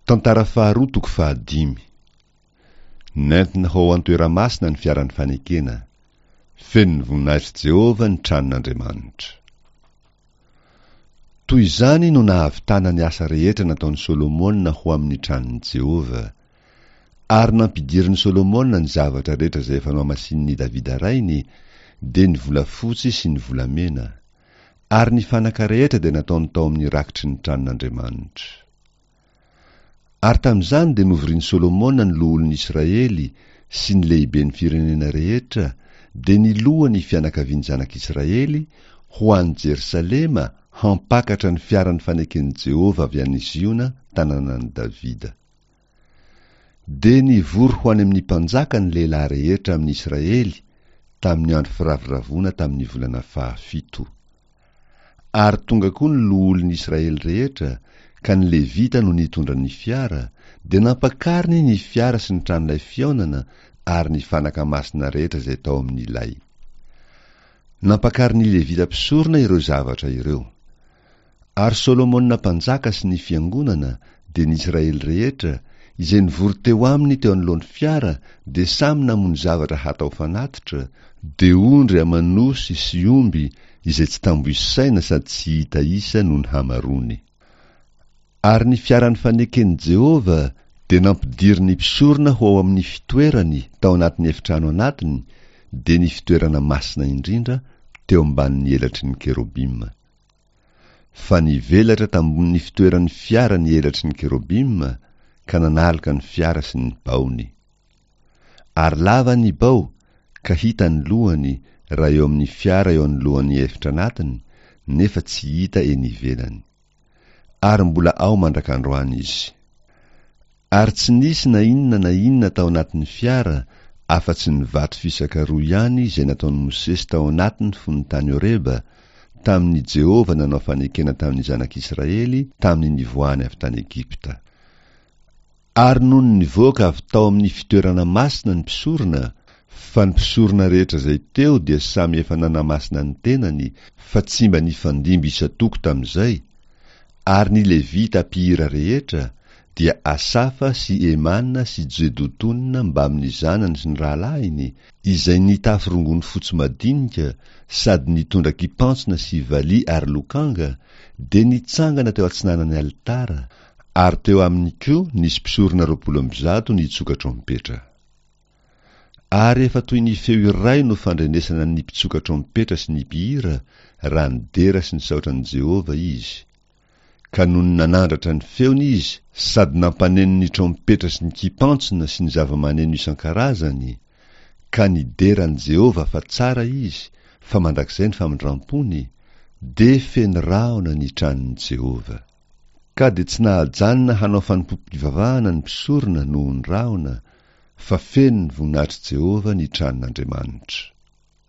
Tantara faharoa toko fahadimy. Nentina ho ao an-toeramasina ny fiaran'ny fanekena. Feno ny voninahitr'i Jehovah ny tranon'Andriamanitra. Toy izany no nahavitana ny asa rehetra nataon'i Solomona ho amin'ny tranon'i Jehovah. Ary nampidirin'i Solomona ny zavatra rehetra izay efa nohamasinin'i Davida rainy, dia ny volafotsy sy ny volamena. Ary ny fanaka rehetra dia nataony tao amin'ny rakitry ny tranon'Andriamanitra. Ary tamin'izany dia novorian'i Solomona ny loholon'ny Israely sy ny lehiben'ny firenena rehetra, dia ny lohan'ny fianakavian'ny zanak'Israely, ho any Jerosalema hampakatra ny fiaran'ny faneken'i Jehovah avy any Ziona, tanànan'i Davida. Dia nivory ho any amin'ny mpanjaka ny lehilahy rehetra amin'ny Israely tamin'ny andro firavoravoana tamin'ny volana fahafito. Ary tonga koa ny loholon'ny Israely rehetra, ka ny Levita no nitondra ny fiara, dia nampakariny ny fiara sy ny tranolay fihaonana ary ny fanaka masina rehetra izay tao amin'ny lay. Nampakarin'ny Levita mpisorona ireo zavatra ireo. Ary Solomona mpanjaka sy ny fiangonana, dia ny Israely rehetra, izay nivory teo aminy teo anoloan'ny fiara, dia samy namono zavatra hatao fanatitra, dia ondry aman'osy sy omby, izay tsy tambo isaina sady tsy hita isa noho ny hamaroany. Ary ny fiaran'ny faneken'i Jehovah dia nampidirin'ny mpisorona ho ao amin'ny fitoerany tao anatin'ny efitrano anatiny, dia ny fitoerana masina indrindra, teo ambanin'ny elatry ny kerobima. Fa nivelatra tambonin'ny fitoeran'ny fiara ny elatry ny kerobima ka nanaloka ny fiara sy ny baony. Ary lava ny bao, ka hita ny lohany raha eo amin'ny fiara eo anoloan'ny efitra anatiny, nefa tsy hita eny ivelany. Ary mbola ao mandrak'androany izy. Ary tsy nisy na inona na inona tao anatin'ny fiara afa-tsy ny vato fisaka roa ihany izay nataon'i Mosesy tao anatiny fony tany Horeba, tamin'i Jehovah nanao fanekena tamin'ny zanak'Israely tamin'ny nivoahany avy tany Egypta. Ary nony nivoaka avy tao amin'ny fitoerana masina ny mpisorona, fa ny mpisorona rehetra izay teo dia samy efa nanamasina ny tenany, fa tsy mba nifandimby isan-toko tamin'izay, Ary ny Levita mpihira rehetra, dia Asafa sy Hemana sy Jedotona mbamin'ny zanany sy ny rahalahiny, izay nitafy rongony fotsy madinika sady nitondra kipantsona sy valiha ary lokanga, dia nitsangana teo atsinanan'ny alitara, ary teo aminy koa nisy mpisorona 120 nitsoka trompetra. Ary efa toy ny feo iray no fandrenesana ny mpitsoka trompetra sy ny mpihira raha nidera sy nisaotra an'i Jehovah izy. Ka nony nanandratra ny feony izy sady nampaneno ny trompetra sy ny kipantsona sy ny zava-maneno isan-karazany, ka nidera an'i Jehovah fa tsara izy, fa mandrakizay ny famindram-pony, dia feno rahona ny tranon'i Jehovah. Ka dia tsy nahajanona hanao fanompoam-pivavahana ny mpisorona noho ny rahona, fa feno ny voninahitr'i Jehovah ny tranon'Andriamanitra.